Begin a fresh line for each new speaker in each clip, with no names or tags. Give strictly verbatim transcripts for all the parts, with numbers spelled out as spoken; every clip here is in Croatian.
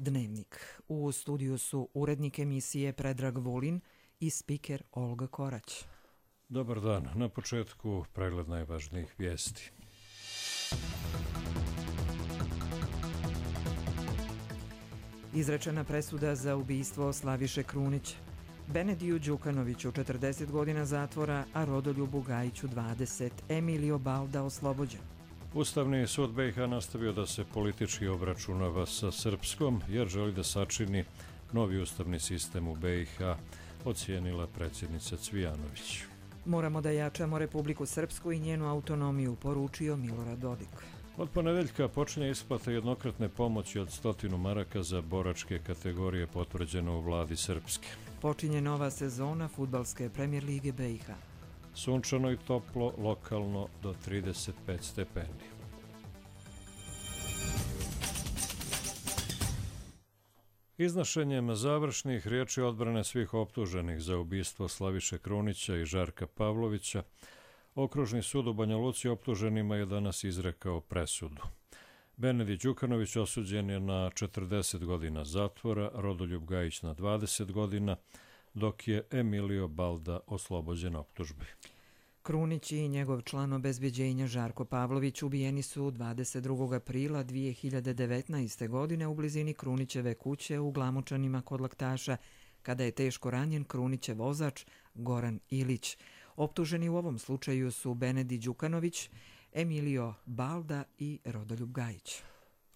Dnevnik. U studiju su urednik emisije Predrag Vulin i spiker Olga Korać.
Dobar dan. Na početku pregled najvažnijih vijesti.
Izrečena presuda za ubistvo Slaviše Krunića. Benediju Đukanoviću četrdeset godina zatvora, a Rodoljubu Gajiću dvadeset. Emilio Balda oslobođen.
Ustavni sud B i H nastavio da se politički obračunava sa Srpskom jer želi da sačini novi ustavni sistem u B i H, ocijenila predsjednica Cvijanović.
Moramo da jačamo Republiku Srpsku i njenu autonomiju, poručio Milorad Dodik.
Od ponedeljka počinje isplata jednokratne pomoći od stotinu maraka za boračke kategorije potvrđeno u vladi Srpske.
Počinje nova sezona fudbalske Premier lige B i H.
Sunčano i toplo, lokalno do trideset pet stepeni. Iznošenjem završnih riječi odbrane svih optuženih za ubistvo Slaviše Krunića i Žarka Pavlovića, Okružni sud u Banja Luci optuženima je danas izrekao presudu. Benedi Đukanović osuđen je na četrdeset godina zatvora, Rodoljub Gajić na dvadeset godina, dok je Emilio Balda oslobođen optužbi.
Krunić i njegov član obezbeđenja Žarko Pavlović ubijeni su dvadeset drugog aprila dvije hiljade devetnaeste. godine u blizini Krunićeve kuće u Glamočanima kod Laktaša, kada je teško ranjen Krunićev vozač Goran Ilić. Optuženi u ovom slučaju su Benedi Đukanović, Emilio Balda i Rodoljub Gajić.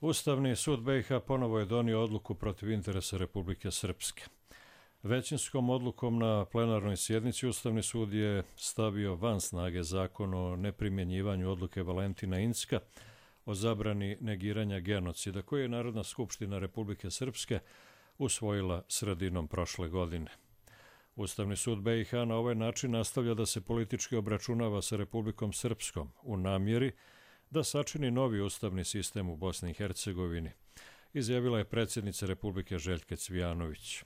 Ustavni sud B i H ponovo je donio odluku protiv interesa Republike Srpske. Većinskom odlukom na plenarnoj sjednici Ustavni sud je stavio van snage zakon o neprimjenjivanju odluke Valentina Incka o zabrani negiranja genocida, koji je Narodna skupština Republike Srpske usvojila sredinom prošle godine. Ustavni sud B i H na ovaj način nastavlja da se politički obračunava sa Republikom Srpskom u namjeri da sačini novi ustavni sistem u Bosni i Hercegovini, izjavila je predsjednica Republike Željka Cvijanović.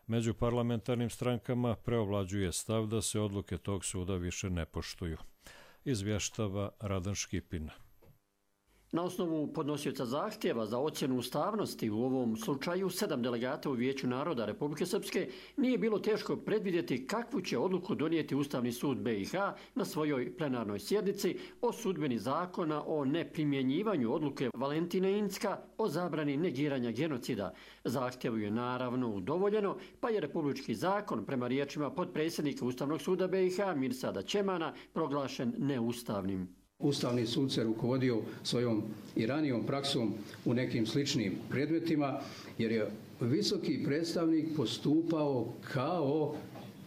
Među parlamentarnim strankama preovlađuje stav da se odluke tog suda više ne poštuju, izvještava Radan Škipina.
Na osnovu podnosioca zahtjeva za ocjenu ustavnosti u ovom slučaju sedam delegata u Vijeću naroda Republike Srpske nije bilo teško predvidjeti kakvu će odluku donijeti Ustavni sud B i H na svojoj plenarnoj sjednici o sudbeni zakona o neprimjenjivanju odluke Valentina Incka o zabrani negiranja genocida. Zahtjevu je naravno udovoljeno, pa je republički zakon prema riječima potpredsjednika Ustavnog suda B i H Mirsada Ćemana proglašen neustavnim.
Ustavni sud se rukovodio svojom i ranijom praksom u nekim sličnim predmetima, jer je visoki predstavnik postupao kao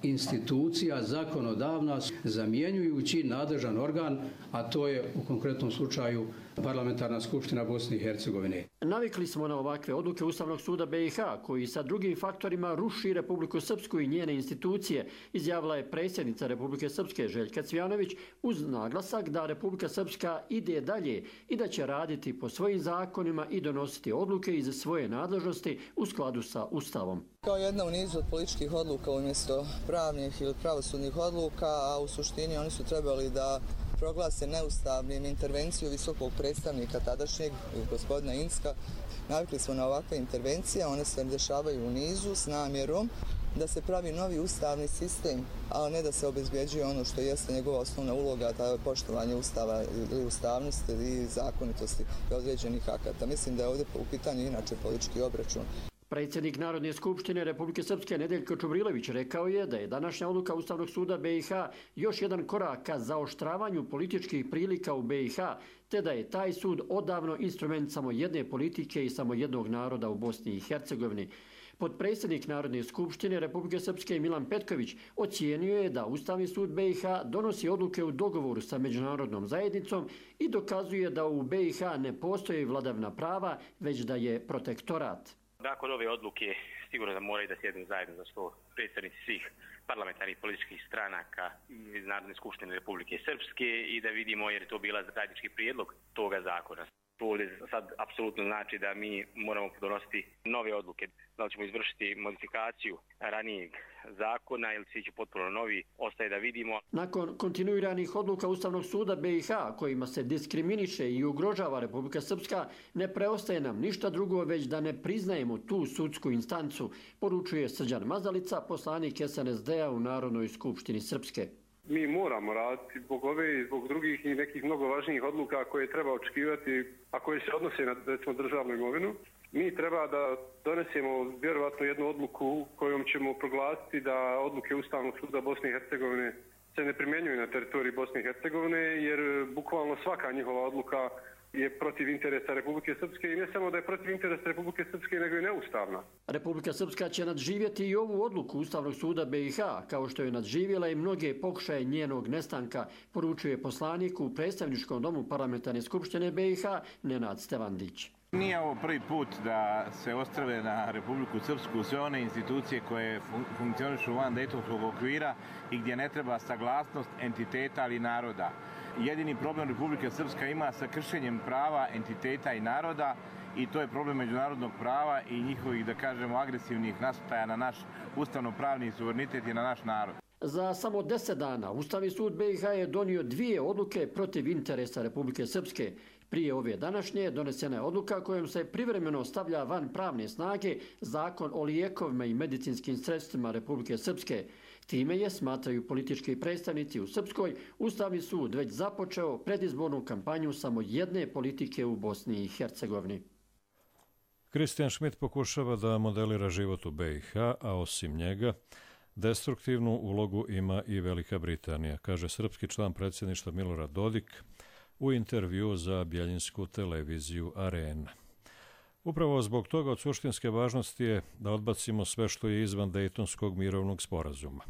institucija zakonodavna, zamjenjujući nadležan organ, a to je u konkretnom slučaju Parlamentarna skupština Bosne i Hercegovine.
Navikli smo na ovakve odluke Ustavnog suda B i H, koji sa drugim faktorima ruši Republiku Srpsku i njene institucije, izjavila je predsjednica Republike Srpske Željka Cvijanović uz naglasak da Republika Srpska ide dalje i da će raditi po svojim zakonima i donositi odluke iz svoje nadležnosti u skladu sa Ustavom.
Kao jedna u nizu od političkih odluka umjesto pravnih ili pravosudnih odluka, a u suštini oni su trebali da proglase neustavnim intervenciju visokog predstavnika tadašnjeg gospodina Incka. Navikli smo na ovakve intervencije, one se dešavaju u nizu s namjerom da se pravi novi ustavni sistem, a ne da se obezbjeđuje ono što jeste njegova osnovna uloga, to je poštovanje ustava ili ustavnosti i zakonitosti određenih akata. Mislim da je ovdje u pitanju inače politički obračun.
Predsjednik Narodne skupštine Republike Srpske Nedeljko Čubrilović rekao je da je današnja odluka Ustavnog suda B i H još jedan korak ka zaoštravanju političkih prilika u B i H, te da je taj sud odavno instrument samo jedne politike i samo jednog naroda u Bosni i Hercegovini. Potpredsjednik Narodne skupštine Republike Srpske Milan Petković ocijenio je da Ustavni sud B i H donosi odluke u dogovoru sa međunarodnom zajednicom i dokazuje da u B i H ne postoji vladavina prava, već da je protektorat.
Nakon ove odluke sigurno da moraju da sjednu zajedno za sto predstavnici svih parlamentarnih političkih stranaka iz Narodne skupštine Republike Srpske i da vidimo jer je to bila zajednički prijedlog toga zakona. To ovdje sad apsolutno znači da mi moramo donositi nove odluke. Da li ćemo izvršiti modifikaciju ranijeg zakona ili će ići potpuno novi, ostaje da vidimo.
Nakon kontinuiranih odluka Ustavnog suda B i H kojima se diskriminiše i ugrožava Republika Srpska, ne preostaje nam ništa drugo već da ne priznajemo tu sudsku instancu, poručuje Srđan Mazalica, poslanik S N S D-a u Narodnoj skupštini Srpske.
Mi moramo raditi zbog ove i zbog drugih i nekih mnogo važnijih odluka koje treba očekivati, a koje se odnose na recimo državnu imovinu. Mi treba da donesemo vjerovatno jednu odluku kojom ćemo proglasiti da odluke Ustavnog suda Bosne i Hercegovine se ne primjenjuju na teritoriji Bosne i Hercegovine, jer bukvalno svaka njihova odluka je protiv interesa Republike Srpske i ne samo da je protiv interesa Republike Srpske, nego i neustavna.
Republika Srpska će nadživjeti i ovu odluku Ustavnog suda B i H, kao što je nadživjela i mnoge pokušaje njenog nestanka, poručuje poslanik u predstavničkom domu Parlamentarne skupštine B i H Nenad Stevandić.
Nije ovo prvi put da se ostrave na Republiku Srpsku sve one institucije koje fun funkcionišu van Dejtonskog okvira i gdje ne treba saglasnost entiteta ali naroda. Jedini problem Republika Srpska ima sa kršenjem prava entiteta i naroda i to je problem međunarodnog prava i njihovih, da kažemo, agresivnih nasrtaja na naš ustavno-pravni suverenitet i na naš narod.
Za samo deset dana Ustavni sud B i H je donio dvije odluke protiv interesa Republike Srpske. Prije ove današnje donesena je odluka kojom se privremeno stavlja van pravne snage zakon o lijekovima i medicinskim sredstvima Republike Srpske. Time je, smatraju politički predstavnici u Srpskoj, Ustavni sud već započeo predizbornu kampanju samo jedne politike u Bosni i Hercegovini.
Kristijan Schmidt pokušava da modelira život u B i H, a osim njega destruktivnu ulogu ima i Velika Britanija, kaže srpski član predsjedništva Milorad Dodik u intervjuu za bjeljinsku televiziju Arena. Upravo zbog toga od suštinske važnosti je da odbacimo sve što je izvan Dejtonskog mirovnog sporazuma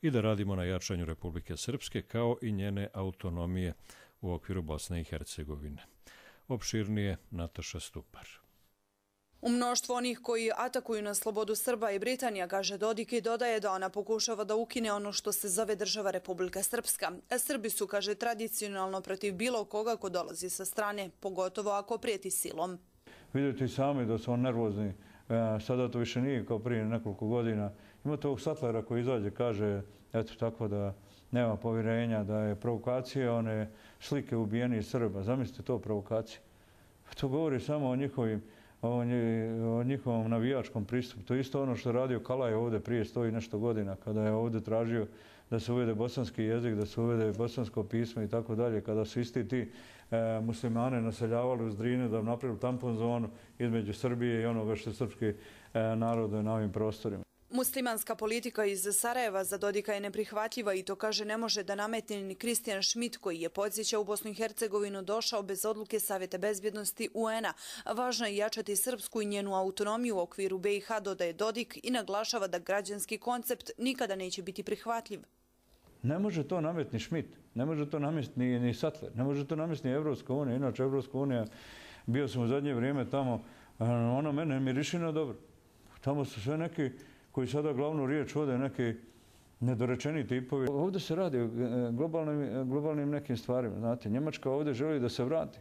i da radimo na jačanju Republike Srpske kao i njene autonomije u okviru Bosne i Hercegovine. Opširnije Nataša Stupar.
U mnoštvo onih koji atakuju na slobodu Srba i Britanija, kaže Dodik, i dodaje da ona pokušava da ukine ono što se zove država Republika Srpska. Srbi su, kaže, tradicionalno protiv bilo koga ko dolazi sa strane, pogotovo ako prijeti silom.
Vidite i sami da su on nervozni. Sada to više nije kao prije nekoliko godina. Imate ovog Satlera koji izađe, kaže, eto tako da nema povjerenja, da je provokacija one slike ubijenih Srba. Zamislite to provokacije. To govori samo o njihovim o njihovom navijačkom pristupu. To je isto ono što je radio Kalaj ovdje prije sto i nešto godina, kada je ovdje tražio da se uvede bosanski jezik, da se uvede bosansko pismo i tako dalje, kada su isti ti e, muslimane naseljavali uz Drine da napravili tampon zonu između Srbije i onoga što je srpski e, narod na ovim prostorima.
Muslimanska politika iz Sarajeva za Dodika je neprihvatljiva i to, kaže, ne može da nametne ni Kristijan Schmidt, koji je, podsjeća, u Bosnu i Hercegovinu došao bez odluke Savjeta bezbjednosti U N-a. Važno je jačati srpsku i njenu autonomiju u okviru B i H, dodaje Dodik, i naglašava da građanski koncept nikada neće biti prihvatljiv.
Ne može to nametni Schmidt, ne može to nametni ni, ni Sattler, ne može to nametni Evropska unija. Inače, Evropska unija, bio sam u zadnje vrijeme tamo, ono mene miriši na dobro. Tamo su sve neki koji sada glavnu riječ vode, neki nedorečeni tipovi. Ovdje se radi o globalnim, globalnim nekim stvarima. Znate, Njemačka ovdje želi da se vrati.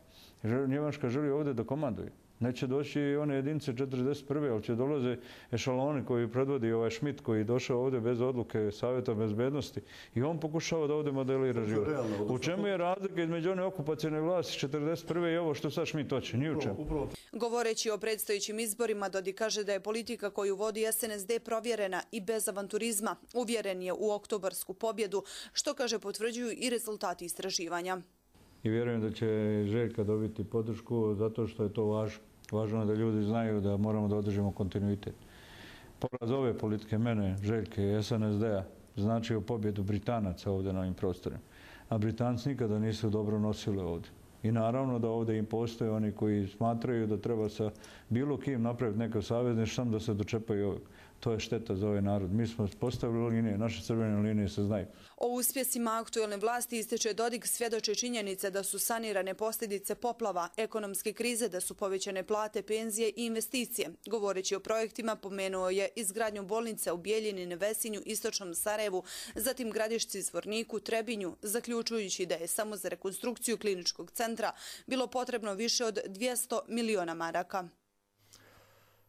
Njemačka želi ovdje da komanduje. Neće doći one jedinice četrdeset prve, ali će dolaze ešaloni koji predvodi ovaj Schmidt, koji je došao ovdje bez odluke Savjeta bezbednosti i on pokušava da ovdje modelira život. U čemu je razlika između one okupacijne vlasti četrdeset prve i ovo što sad Schmidt hoće? Ni u čemu.
Govoreći o predstojećim izborima, Dodik kaže da je politika koju vodi S N S D provjerena i bez avanturizma. Uvjeren je u oktobarsku pobjedu, što, kaže, potvrđuju i rezultati istraživanja.
I vjerujem da će Željka dobiti podršku zato što je to važno. Važno je da ljudi znaju da moramo da održimo kontinuitet. Poraz ove politike mene, Željke i S N S D-a značio pobjedu Britanaca ovdje na ovim prostorima. A Britanci nikada nisu dobro nosili ovdje. I naravno da ovdje im postoje oni koji smatraju da treba sa bilo kim napraviti neke savezništvo samo da se dočepaju ovog. To je šteta za ovaj narod. Mi smo postavili linije, naše crvene linije se znaju.
O uspjesima aktuelne vlasti ističe Dodik, svjedoče činjenice da su sanirane posljedice poplava, ekonomske krize, da su povećane plate, penzije i investicije. Govoreći o projektima, pomenuo je izgradnju bolnice u Bijeljini, Nevesinju, Istočnom Sarajevu, zatim Gradišci, Zvorniku, Trebinju, zaključujući da je samo za rekonstrukciju kliničkog centra bilo potrebno više od dvjesto miliona maraka.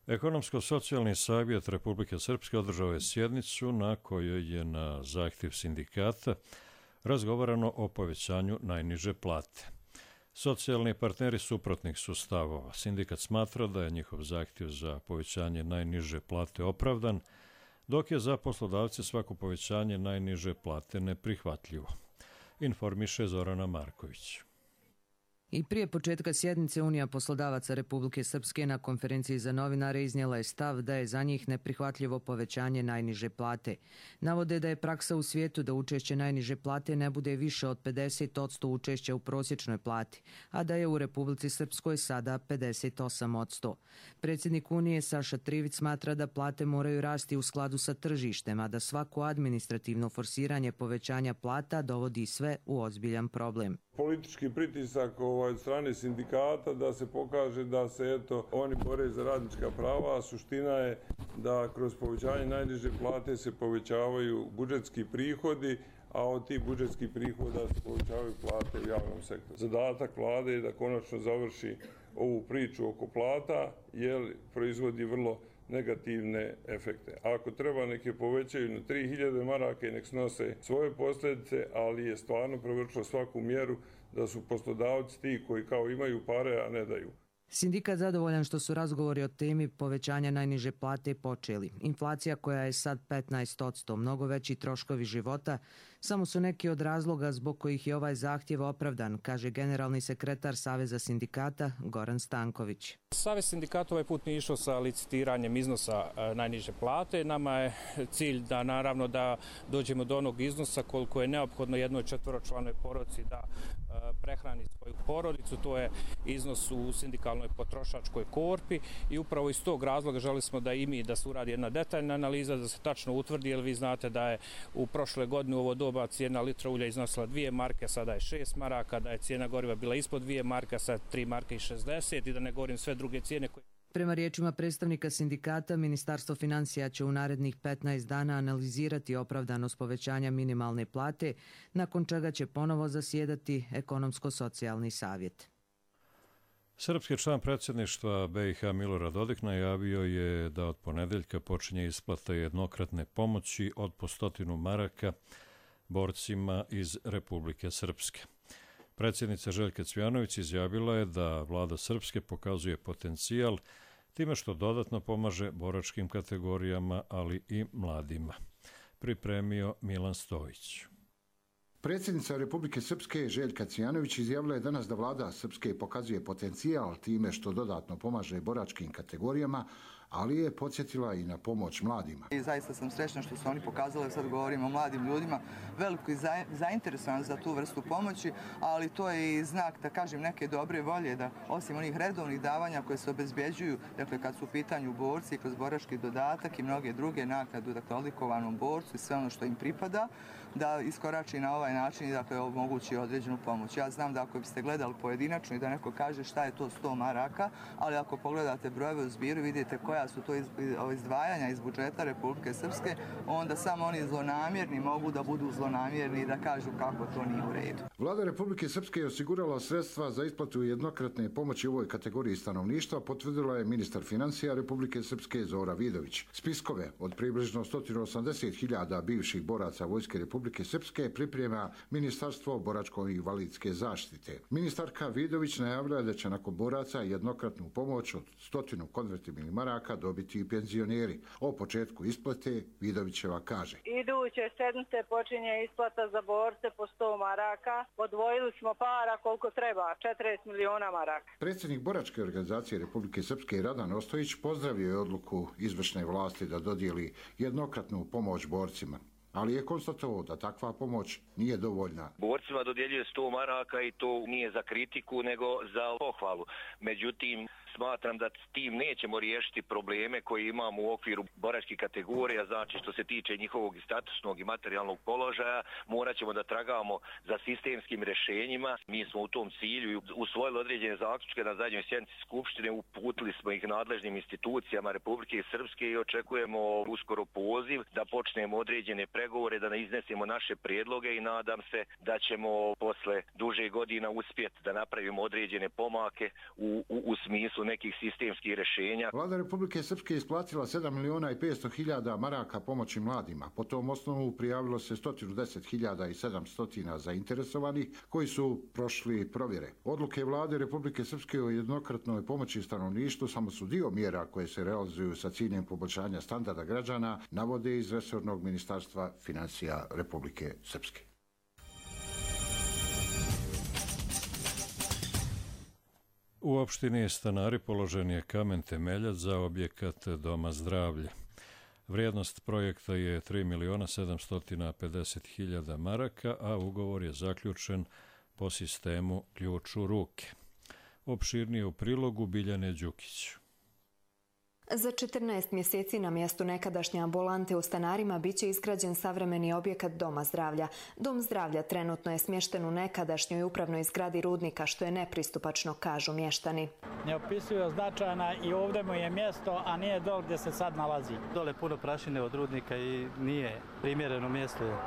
Ekonomsko-socijalni savjet Republike Srpske održao je sjednicu na kojoj je na zahtjev sindikata razgovarano o povećanju najniže plate. Socijalni partneri suprotnih su stavova. Sindikat smatra da je njihov zahtjev za povećanje najniže plate opravdan, dok je za poslodavce svako povećanje najniže plate neprihvatljivo. Informiše Zorana Marković.
I prije početka sjednice Unija poslodavaca Republike Srpske na konferenciji za novinare iznijela je stav da je za njih neprihvatljivo povećanje najniže plate. Navode da je praksa u svijetu da učešće najniže plate ne bude više od pedeset posto učešća u prosječnoj plati, a da je u Republici Srpskoj sada pedeset osam posto. Predsjednik Unije Saša Trivić smatra da plate moraju rasti u skladu sa tržištem, a da svako administrativno forsiranje povećanja plata dovodi sve u ozbiljan problem.
Politički pritisak ovaj, od strane sindikata da se pokaže da se eto oni bore za radnička prava, a suština je da kroz povećanje najniže plate se povećavaju budžetski prihodi, a od tih budžetskih prihoda se povećavaju plate u javnom sektoru. Zadatak vlade je da konačno završi ovu priču oko plata, jer proizvodi vrlo negativne efekte. Ako treba, neke povećaju na tri hiljade maraka i nek snose svoje posljedice, ali je stvarno prevršilo svaku mjeru da su poslodavci ti koji kao imaju pare, a ne daju.
Sindikat zadovoljan što su razgovori o temi povećanja najniže plate počeli. Inflacija koja je sad petnaest posto, mnogo veći troškovi života, samo su neki od razloga zbog kojih je ovaj zahtjev opravdan, kaže generalni sekretar Saveza sindikata Goran Stanković.
Savez sindikata ovaj put nije išao sa licitiranjem iznosa najniže plate. Nama je cilj da naravno da dođemo do onog iznosa koliko je neophodno jednoj četvoročlanoj porodici da prehrani svoju porodicu. To je iznos u sindikalnoj potrošačkoj korpi i upravo iz tog razloga želi smo da i mi da se uradi jedna detaljna analiza, da se tačno utvrdi, jer vi znate da je u prošle godine u ovo doba cijena litra ulja iznosila dvije marke, sada je šest maraka, da je cijena goriva bila ispod dvije marke, sad tri marke i šezdeset i da ne govorim sve druge cijene koje...
Prema riječima predstavnika sindikata, Ministarstvo financija će u narednih petnaest dana analizirati opravdanost povećanja minimalne plate, nakon čega će ponovo zasjedati Ekonomsko-socijalni savjet.
Srpski član predsjedništva B i H Milorad Dodik najavio je da od ponedeljka počinje isplata jednokratne pomoći od po stotinu maraka borcima iz Republike Srpske. Predsjednica Željka Cvjanović izjavila je da vlada Srpske pokazuje potencijal time što dodatno pomaže boračkim kategorijama, ali i mladima. Pripremio Milan Stojić.
Predsjednica Republike Srpske Željka Cvjanović izjavila je danas da vlada Srpske pokazuje potencijal time što dodatno pomaže boračkim kategorijama, ali je podsjetila i na pomoć mladima.
I zaista sam srećna što su oni pokazali, sad govorimo o mladim ljudima, veliko zainteresovan za tu vrstu pomoći, ali to je i znak, da kažem, neke dobre volje, da osim onih redovnih davanja koje se obezbjeđuju, dakle kad su u pitanju borci kroz borački dodatak i mnoge druge naknadu, dakle odlikovanom borcu i sve ono što im pripada, da iskorači na ovaj način i dakle omogući određenu pomoć. Ja znam da ako biste gledali pojedinačno i da neko kaže šta je to sto maraka, ali ako pogledate brojeve u zbiru, vidite koja su to izdvajanja iz budžeta Republike Srpske, onda samo oni zlonamjerni mogu da budu zlonamjerni i da kažu kako to nije u redu.
Vlada Republike Srpske je osigurala sredstva za isplatu jednokratne pomoći u ovoj kategoriji stanovništva, potvrdila je ministar financija Republike Srpske Zora Vidović. Spiskove od približno sto osamdeset hiljada bivših boraca Vojske Republike Srpske priprema Ministarstvo boračko-invalidske zaštite. Ministarka Vidović najavila je da će nakon boraca jednokratnu pomoć od stotinu konvertibilnih maraka dobiti i penzioneri. O početku isplate Vidovićeva kaže.
Iduće sedmice počinje isplata za borce po sto maraka. Odvojili smo para koliko treba, četrdeset miliona maraka.
Predsjednik boračke organizacije Republike Srpske Radan Ostojić pozdravio je odluku izvršne vlasti da dodijeli jednokratnu pomoć borcima, ali je konstatovao da takva pomoć nije dovoljna.
Borcima dodjeljuje sto maraka i to nije za kritiku nego za pohvalu. Međutim, smatram da s tim nećemo riješiti probleme koje imamo u okviru boračkih kategorija, znači što se tiče njihovog i statusnog i materijalnog položaja, morat ćemo da tragamo za sistemskim rješenjima. Mi smo u tom cilju usvojili određene zaključke na zadnjoj sjednici Skupštine, uputili smo ih nadležnim institucijama Republike Srpske i očekujemo uskoro poziv da počnemo određene pregovore, da iznesemo naše prijedloge i nadam se da ćemo posle duže godina uspjeti da napravimo određene pomake u, u, u smislu nekih sistemskih rješenja.
Vlada Republike Srpske isplatila sedam miliona i petsto hiljada maraka pomoći mladima. Po tom osnovu prijavilo se sto deset hiljada i sedamsto zainteresovanih koji su prošli provjere. Odluke Vlade Republike Srpske o jednokratnoj pomoći stanovništvu samo su dio mjera koje se realizuju sa ciljem poboljšanja standarda građana, navode iz resornog ministarstva financija Republike Srpske.
U opštini Stanari položen je kamen temeljac za objekat Doma zdravlja. Vrijednost projekta je tri miliona sedamsto pedeset hiljada maraka, a ugovor je zaključen po sistemu ključ u ruke. Opširnije u prilogu Biljane Đukić.
Za četrnaest mjeseci na mjestu nekadašnje ambulante u Stanarima biće izgrađen savremeni objekat Doma zdravlja. Dom zdravlja trenutno je smješten u nekadašnjoj upravnoj zgradi rudnika, što je nepristupačno, kažu mještani.
Neopisivo značajna i ovdje mu je mjesto, a nije dole gdje se sad nalazi. Dole puno prašine od rudnika i nije primjereno mjesto.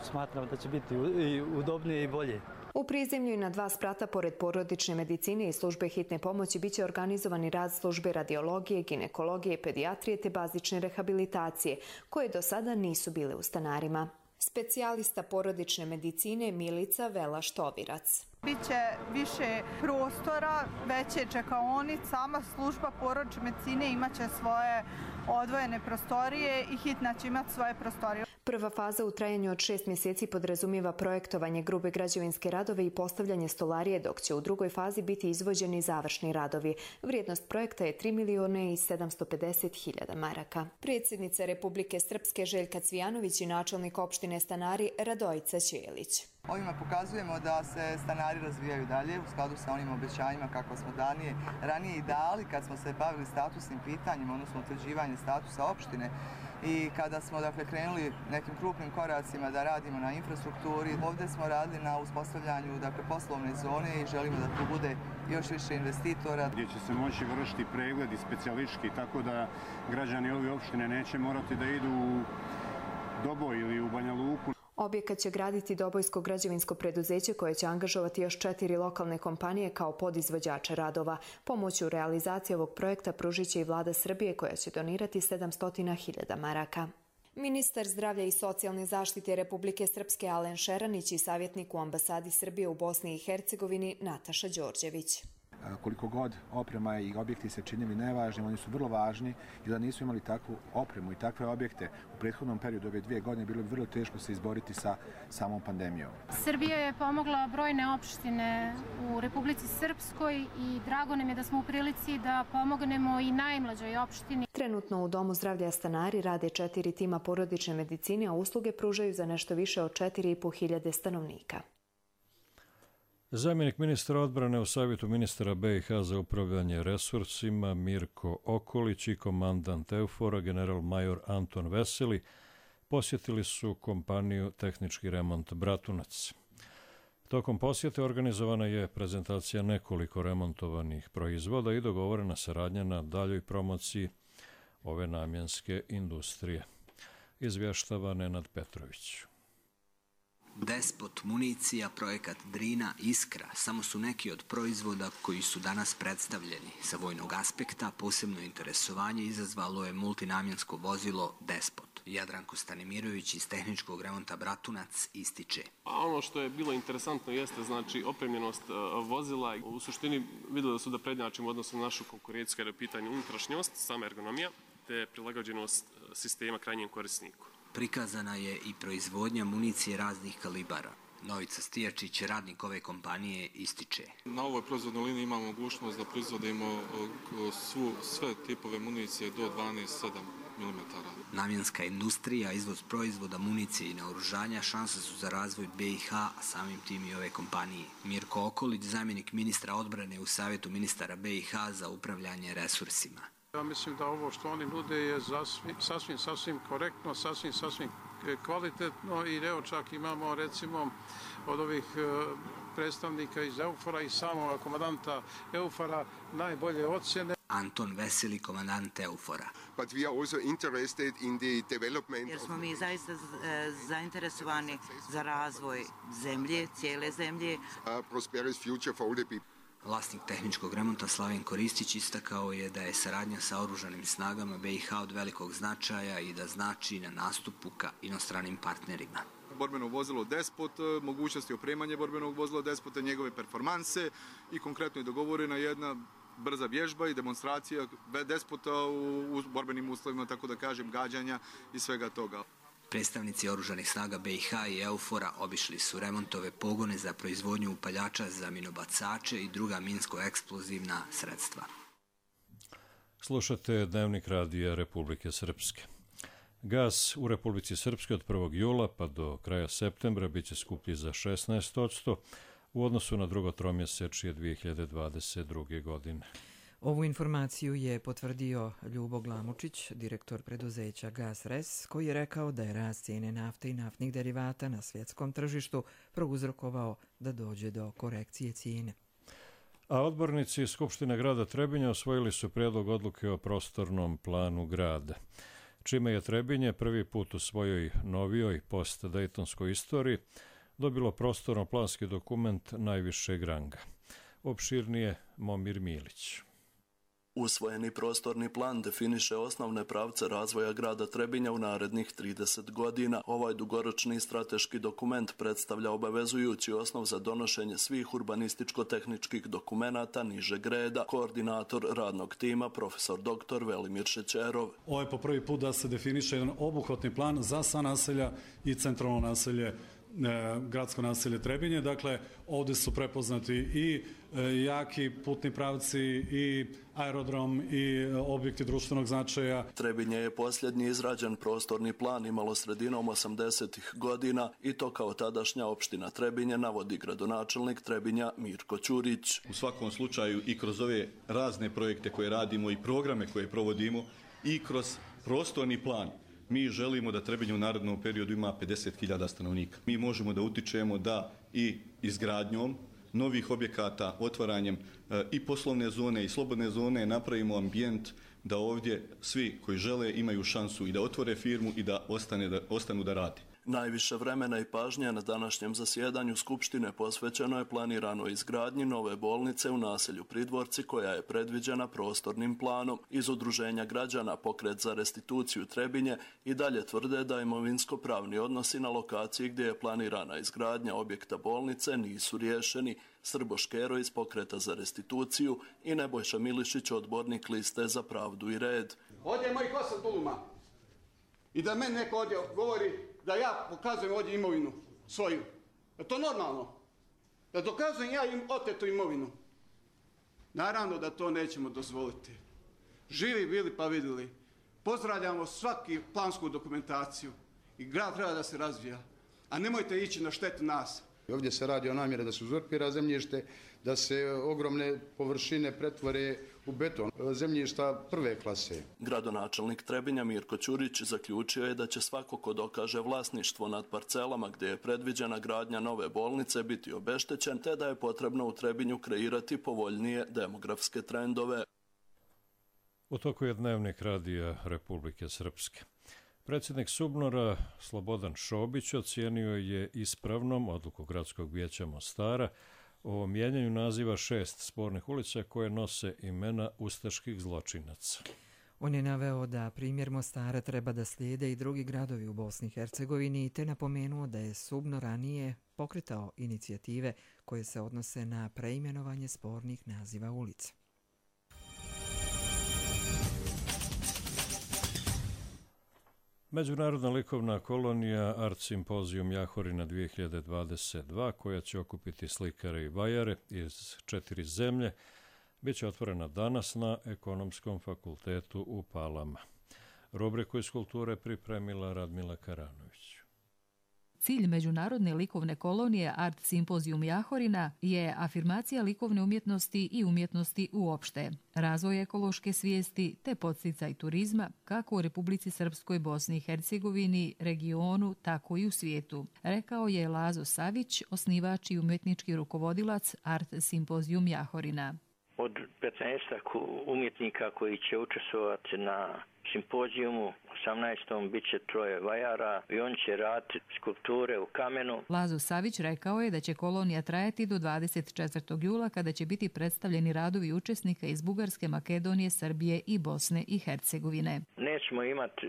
Smatram da će biti i udobnije i bolje.
U prizemlju i na dva sprata pored porodične medicine i službe hitne pomoći biće organizovani rad službe radiologije, ginekologije i pedijatrije te bazične rehabilitacije, koje do sada nisu bile u Stanarima. Specijalista porodične medicine Milica Vela-Štovirac.
Biće više prostora, veće čekaonice, sama služba porodične medicine imaće svoje odvojene prostorije i hitna će imati svoje prostorije.
Prva faza u trajanju od šest mjeseci podrazumijeva projektovanje grube građevinske radove i postavljanje stolarije, dok će u drugoj fazi biti izvođeni završni radovi. Vrijednost projekta je tri miliona i sedamsto pedeset hiljada maraka. Predsjednica Republike Srpske Željka Cvijanović i načelnik opštine Stanari Radojica Ćelić.
Ovime pokazujemo da se Stanari razvijaju dalje u skladu sa onim obećanjima kako smo danije ranije i dali kad smo se bavili statusnim pitanjima, odnosno utvrđivanje statusa opštine. I kada smo dakle, krenuli nekim krupnim koracima da radimo na infrastrukturi, ovdje smo radili na uspostavljanju dakle, poslovne zone i želimo da tu bude još više investitora.
Gdje će se moći vršiti pregledi specijalistički, tako da građani ove opštine neće morati da idu u Doboj ili u Banja Luku.
Objekat će graditi Dobojsko građevinsko preduzeće koje će angažovati još četiri lokalne kompanije kao podizvođače radova. Pomoć u realizaciji ovog projekta pružit će i Vlada Srbije koja će donirati sedamsto hiljada maraka. Ministar zdravlja i socijalne zaštite Republike Srpske Alen Šeranić i savjetnik u ambasadi Srbije u Bosni i Hercegovini Nataša Đorđević.
Koliko god oprema i objekti se činili nevažnim, oni su vrlo važni i da nisu imali takvu opremu i takve objekte u prethodnom periodu ove dvije godine bilo bi vrlo teško se izboriti sa samom pandemijom.
Srbija je pomogla brojne opštine u Republici Srpskoj i drago nam je da smo u prilici da pomognemo i najmlađoj opštini.
Trenutno u Domu zdravlja Stanari rade četiri tima porodične medicine, a usluge pružaju za nešto više od četiri i po hiljade stanovnika.
Zamjenik ministra odbrane u Savjetu ministara B i H za upravljanje resursima Mirko Okolić i komandant Eufora general major Anton Veseli posjetili su kompaniju Tehnički remont Bratunac. Tokom posjete organizovana je prezentacija nekoliko remontovanih proizvoda i dogovorena saradnja na daljoj promociji ove namjenske industrije. Izvještava Nenad Petrović.
Despot, municija, projekat Drina, Iskra samo su neki od proizvoda koji su danas predstavljeni. Sa vojnog aspekta posebno interesovanje izazvalo je multinamjensko vozilo Despot. Jadranko Stanimirović iz Tehničkog remonta Bratunac ističe.
A ono što je bilo interesantno jeste znači opremljenost vozila. U suštini vidjeli su da prednjačimo odnosno na našu konkurenciju kada je pitanje unutrašnjost, sama ergonomija, te prilagođenost sistema krajnjem korisniku.
Prikazana je i proizvodnja municije raznih kalibara. Novica Stijačić, radnik ove kompanije, ističe.
Na ovoj proizvodnoj liniji imamo mogućnost da proizvodimo svu, sve tipove municije do dvanaest sedam milimetara.
Namjenska industrija, izvoz proizvoda, municije i naoružanja šanse su za razvoj B i H, a samim tim i ove kompanije. Mirko Okolić, zamjenik ministra odbrane u Savjetu ministara B i H za upravljanje resursima.
Ja mislim da ovo što oni nude je sasvim, sasvim korektno, sasvim, sasvim kvalitetno i evo čak imamo recimo od ovih predstavnika iz Eufora i samog komandanta Eufora najbolje ocjene.
Anton Veseli, komandant Eufora.
But we are also interested in the development.
Jer smo mi zaista zainteresovani za razvoj zemlje, cijele zemlje.
A prosperous future for all the people.
Vlasnik tehničkog remonta Slavenko Ristić istakao je da je saradnja sa oružanim snagama B i H od velikog značaja i da znači na nastupu ka inostranim partnerima.
Borbeno vozilo Despot, mogućnosti opremanja borbenog vozila Despota, njegove performanse i konkretno je dogovorena jedna brza vježba i demonstracija Despota u borbenim uslovima, tako da kažem, gađanja i svega toga.
Predstavnici oružanih snaga B i H i EUFOR-a obišli su remontove pogone za proizvodnju upaljača za minobacače i druga minsko-eksplozivna sredstva.
Slušate Dnevnik radija Republike Srpske. Gas u Republici Srpskoj od prvog jula pa do kraja septembra biće skuplji za šesnaest posto u odnosu na drugo tromjesečje dvije hiljade dvadeset druge. godine.
Ovu informaciju je potvrdio Ljubo Glamučić, direktor preduzeća Gas R E S, koji je rekao da je rast cijene nafte i naftnih derivata na svjetskom tržištu prouzrokovao da dođe do korekcije cijene.
A odbornici Skupštine grada Trebinja osvojili su prijedlog odluke o prostornom planu grada, čime je Trebinje prvi put u svojoj novijoj post-dejtonskoj istoriji dobilo prostorno-planski dokument najvišeg ranga. Opširnije Momir Milić.
Usvojeni prostorni plan definiše osnovne pravce razvoja grada Trebinja u narednih trideset godina. Ovaj dugoročni strateški dokument predstavlja obavezujući osnov za donošenje svih urbanističko-tehničkih dokumenata nižeg reda. Koordinator radnog tima, profesor doktor Velimir Šećerov.
Ovo je po prvi put da se definiše jedan obuhvatni plan za sva naselja i centralno naselje, gradsko naselje Trebinje. Dakle, ovdje su prepoznati i jaki putni pravci i aerodrom i objekti društvenog značaja.
Trebinje je posljednji izrađen prostorni plan imalo sredinom osamdesetih godina i to kao tadašnja opština Trebinje, navodi gradonačelnik Trebinja Mirko Ćurić.
U svakom slučaju i kroz ove razne projekte koje radimo i programe koje provodimo i kroz prostorni plan mi želimo da Trebinje u narednom periodu ima pedeset hiljada stanovnika. Mi možemo da utičemo da i izgradnjom novih objekata, otvaranjem e, i poslovne zone i slobodne zone napravimo ambijent da ovdje svi koji žele imaju šansu i da otvore firmu i da, ostane, da ostanu da radi.
Najviše vremena i pažnje na današnjem zasjedanju Skupštine posvećeno je planiranoj izgradnji nove bolnice u naselju Pridvorci koja je predviđena prostornim planom. Iz Udruženja građana Pokret za restituciju Trebinje i dalje tvrde da imovinsko-pravni odnosi na lokaciji gdje je planirana izgradnja objekta bolnice nisu riješeni. Srbo Škero iz Pokreta za restituciju i Nebojša Milišić, odbornik liste Za pravdu i red.
Ovdje je mojih osam tuluma i da meni neko ovdje govori da ja pokazujem ovdje imovinu svoju. Je to normalno? Da dokazujem ja im otetu imovinu? Naravno da to nećemo dozvoliti. Živi bili pa vidjeli. Pozdravljamo svaki plansku dokumentaciju i grad treba da se razvija. A nemojte ići na štetu nas.
Ovdje se radi o namjeri da se uzurpira zemljište, da se ogromne površine pretvore u beton, zemljišta prve klase.
Gradonačelnik Trebinja Mirko Ćurić zaključio je da će svako ko dokaže vlasništvo nad parcelama gdje je predviđena gradnja nove bolnice biti obeštećen, te da je potrebno u Trebinju kreirati povoljnije demografske trendove.
U toku je Dnevnik radija Republike Srpske. Predsjednik Subnora Slobodan Šobić ocijenio je ispravnom odluku Gradskog vijeća Mostara o mijenjanju naziva šest spornih ulica koje nose imena ustaških zločinaca.
On je naveo da primjer Mostara treba da slijede i drugi gradovi u Bosni i Hercegovini, te napomenuo da je Subno ranije pokretao inicijative koje se odnose na preimenovanje spornih naziva ulica.
Međunarodna likovna kolonija Art Simpozijum Jahorina dvije hiljade dvadeset dva, koja će okupiti slikare i vajare iz četiri zemlje, bit će otvorena danas na Ekonomskom fakultetu u Palama. Rubriku iz kulture pripremila Radmila Karanović.
Cilj Međunarodne likovne kolonije Art Simpozijum Jahorina je afirmacija likovne umjetnosti i umjetnosti uopšte, razvoj ekološke svijesti te podsticaj turizma kako u Republici Srpskoj, Bosni i Hercegovini, regionu, tako i u svijetu, rekao je Lazo Savić, osnivač i umjetnički rukovodilac Art Simpozijum Jahorina.
Od petnaestak umjetnika koji će učestvovati na
simpozijumu osamnaestom bit će troje vajara i on će raditi skulpture u kamenu.
Lazo Savić rekao je da će kolonija trajati do dvadeset četvrtog jula kada će biti predstavljeni radovi učesnika iz Bugarske, Makedonije, Srbije i Bosne i Hercegovine.
Nećemo imati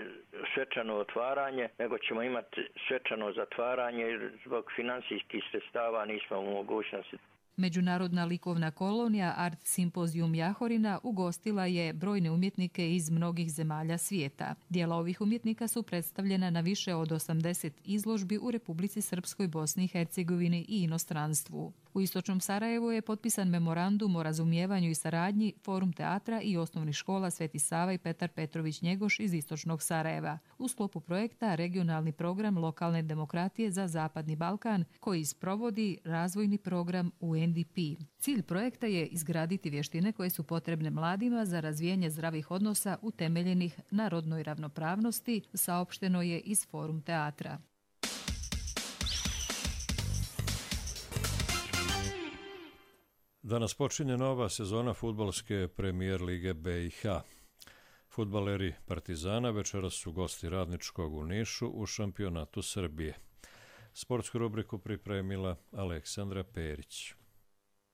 svečano otvaranje, nego ćemo imati svečano zatvaranje jer zbog finansijskih sredstava nismo u mogućnosti.
Međunarodna likovna kolonija Art Simpozijum Jahorina ugostila je brojne umjetnike iz mnogih zemalja svijeta. Dijela ovih umjetnika su predstavljena na više od osamdeset izložbi u Republici Srpskoj, Bosni i Hercegovini i inostranstvu. U istočnom Sarajevu je potpisan memorandum o razumijevanju i saradnji Forum teatra i osnovnih škola Sveti Sava i Petar Petrović Njegoš iz istočnog Sarajeva u sklopu projekta Regionalni program lokalne demokratije za Zapadni Balkan koji sprovodi razvojni program U N D P. Cilj projekta je izgraditi vještine koje su potrebne mladima za razvijanje zdravih odnosa utemeljenih na rodnoj ravnopravnosti, saopšteno je iz Forum teatra.
Danas počinje nova sezona fudbalske premijer lige B i H. Fudbaleri Partizana večeras su gosti Radničkog u Nišu u šampionatu Srbije. Sportsku rubriku pripremila Aleksandra Perić.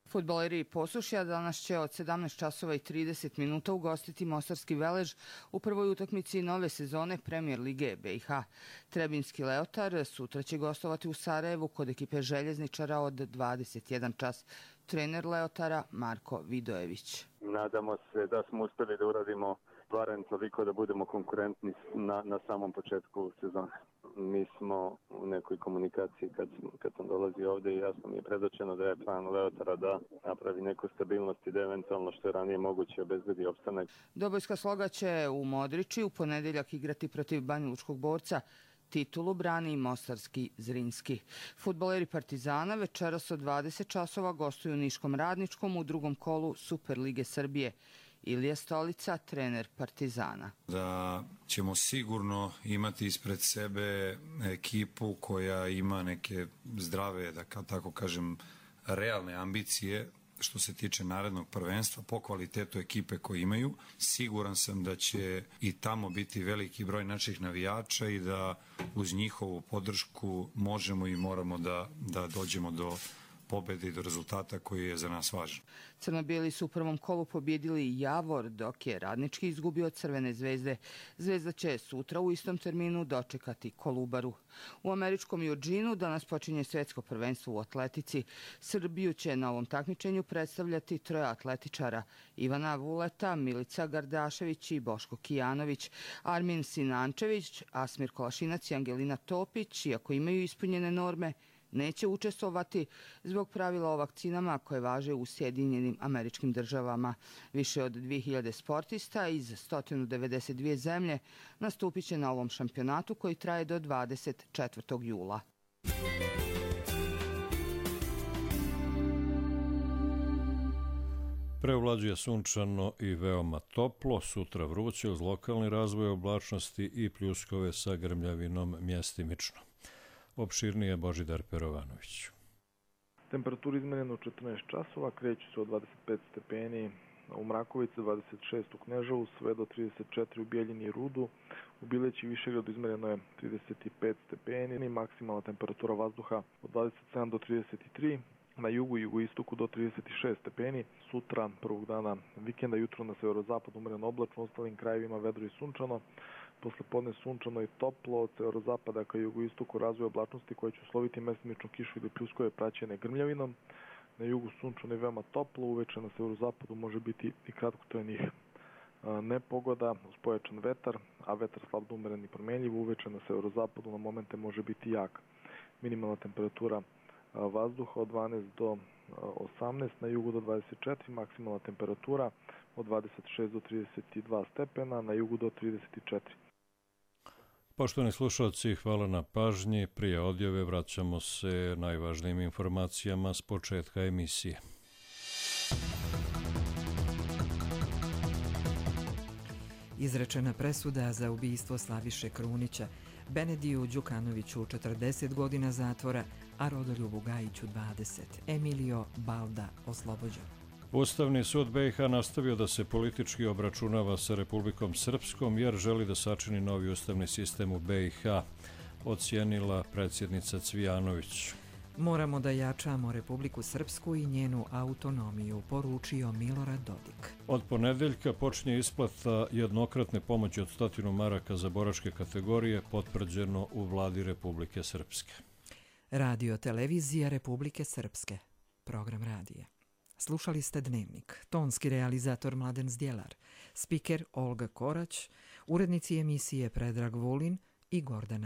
Fudbaleri Posušja danas će od sedamnaest časova i trideset minuta ugostiti Mostarski Velež u prvoj utakmici nove sezone Premijer lige B i H. Trebinski Leotar sutra će gostovati u Sarajevu kod ekipe Željezničara od dvadeset jedan čas. Trener Leotara Marko Vidojević.
Nadamo se da smo uspjeli da uradimo barem toliko da budemo konkurentni na, na samom početku sezone. Mi smo u nekoj komunikaciji kad, kad sam dolazio ovdje i jasno mi je predočeno da je plan Leotara da napravi neku stabilnost i da eventualno što je ranije moguće obezbedi opstanak.
Dobojska Sloga će u Modriči u ponedjeljak igrati protiv Banjalučkog Borca. Titulu brani i mostarski Zrinski. Fudbaleri Partizana večeras od dvadeset časova gostuju u Niškom Radničkom u drugom kolu Super lige Srbije. Ilija Stolica, trener Partizana.
Da ćemo sigurno imati ispred sebe ekipu koja ima neke zdrave, da tako kažem, realne ambicije što se tiče narednog prvenstva po kvalitetu ekipe koje imaju. Siguran sam da će i tamo biti veliki broj naših navijača i da uz njihovu podršku možemo i moramo da, da dođemo do pobjede i do rezultata koji je za nas važan.
Crno-bijeli su u prvom kolu pobjedili Javor, dok je Radnički izgubio od Crvene zvezde. Zvezda će sutra u istom terminu dočekati Kolubaru. U američkom Eugenu danas počinje svjetsko prvenstvo u atletici. Srbiju će na ovom takmičenju predstavljati troje atletičara: Ivana Vuleta, Milica Gardašević i Boško Kijanović. Armin Sinančević, Asmir Kolašinac i Angelina Topić, iako imaju ispunjene norme, neće učestvovati zbog pravila o vakcinama koje važe u Sjedinjenim Američkim Državama. Više od dvije hiljade sportista iz sto devedeset dvije zemlje nastupit će na ovom šampionatu koji traje do dvadeset četvrtog jula.
Preovlađuje sunčano i veoma toplo, sutra vruće uz lokalni razvoj oblačnosti i pljuskove sa grmljavinom mjestimično. Opširnije Božidar Perovanović.
Temperatura izmerena u četrnaest časova, kreću se od dvadeset pet stepeni u Mrakovici, dvadeset šest u Kneževu, sve do trideset četiri u Bijeljini i Rudu. U Bileći i Višegradu izmereno je trideset pet stepeni, maksimalna temperatura vazduha od dvadeset sedam do trideset tri. Na jugu i jugoistoku do trideset šest stepeni. Sutra, prvog dana vikenda, jutro na severozapadu umereno oblačno, u ostalim krajevima vedro i sunčano. Posle podne sunčano i toplo, od severozapada ka jugoistoku razvoj oblačnosti koje će usloviti mestimičnu kišu ili pljuskove praćene grmljavinom. Na jugu sunčano i veoma toplo, uveče na severozapadu može biti i kratkotrajnih nepogoda uz pojačan vetar, a vetar slab umeren i promjenjiv. Uveče na severozapadu na momente može biti jak. Minimalna temperatura vazduha od dvanaest do osamnaest, na jugu do dvadeset četiri, maksimalna temperatura od dvadeset šest do trideset dva stepena, na jugu do trideset četiri.
Poštovani slušalci, hvala na pažnji. Prije odjave vraćamo se najvažnijim informacijama s početka emisije.
Izrečena presuda za ubistvo Slaviše Krunića, Benediju Đukanoviću četrdeset godina zatvora, a Rodoljubu Gajiću dvadeset. Emilio Balda oslobođen.
Ustavni sud B i H nastavio da se politički obračunava sa Republikom Srpskom jer želi da sačini novi ustavni sistem u B i H, ocijenila predsjednica Cvijanović.
Moramo da jačamo Republiku Srpsku i njenu autonomiju, poručio Milorad Dodik.
Od ponedeljka počinje isplata jednokratne pomoći od stotinu maraka za boračke kategorije, potvrđeno u vladi Republike Srpske.
Radio televizija Republike Srpske. Program radije. Slušali ste Dnevnik. Tonski realizator Mladen Zdjelar, spiker Olga Korać, urednici emisije Predrag Vulin i Gordana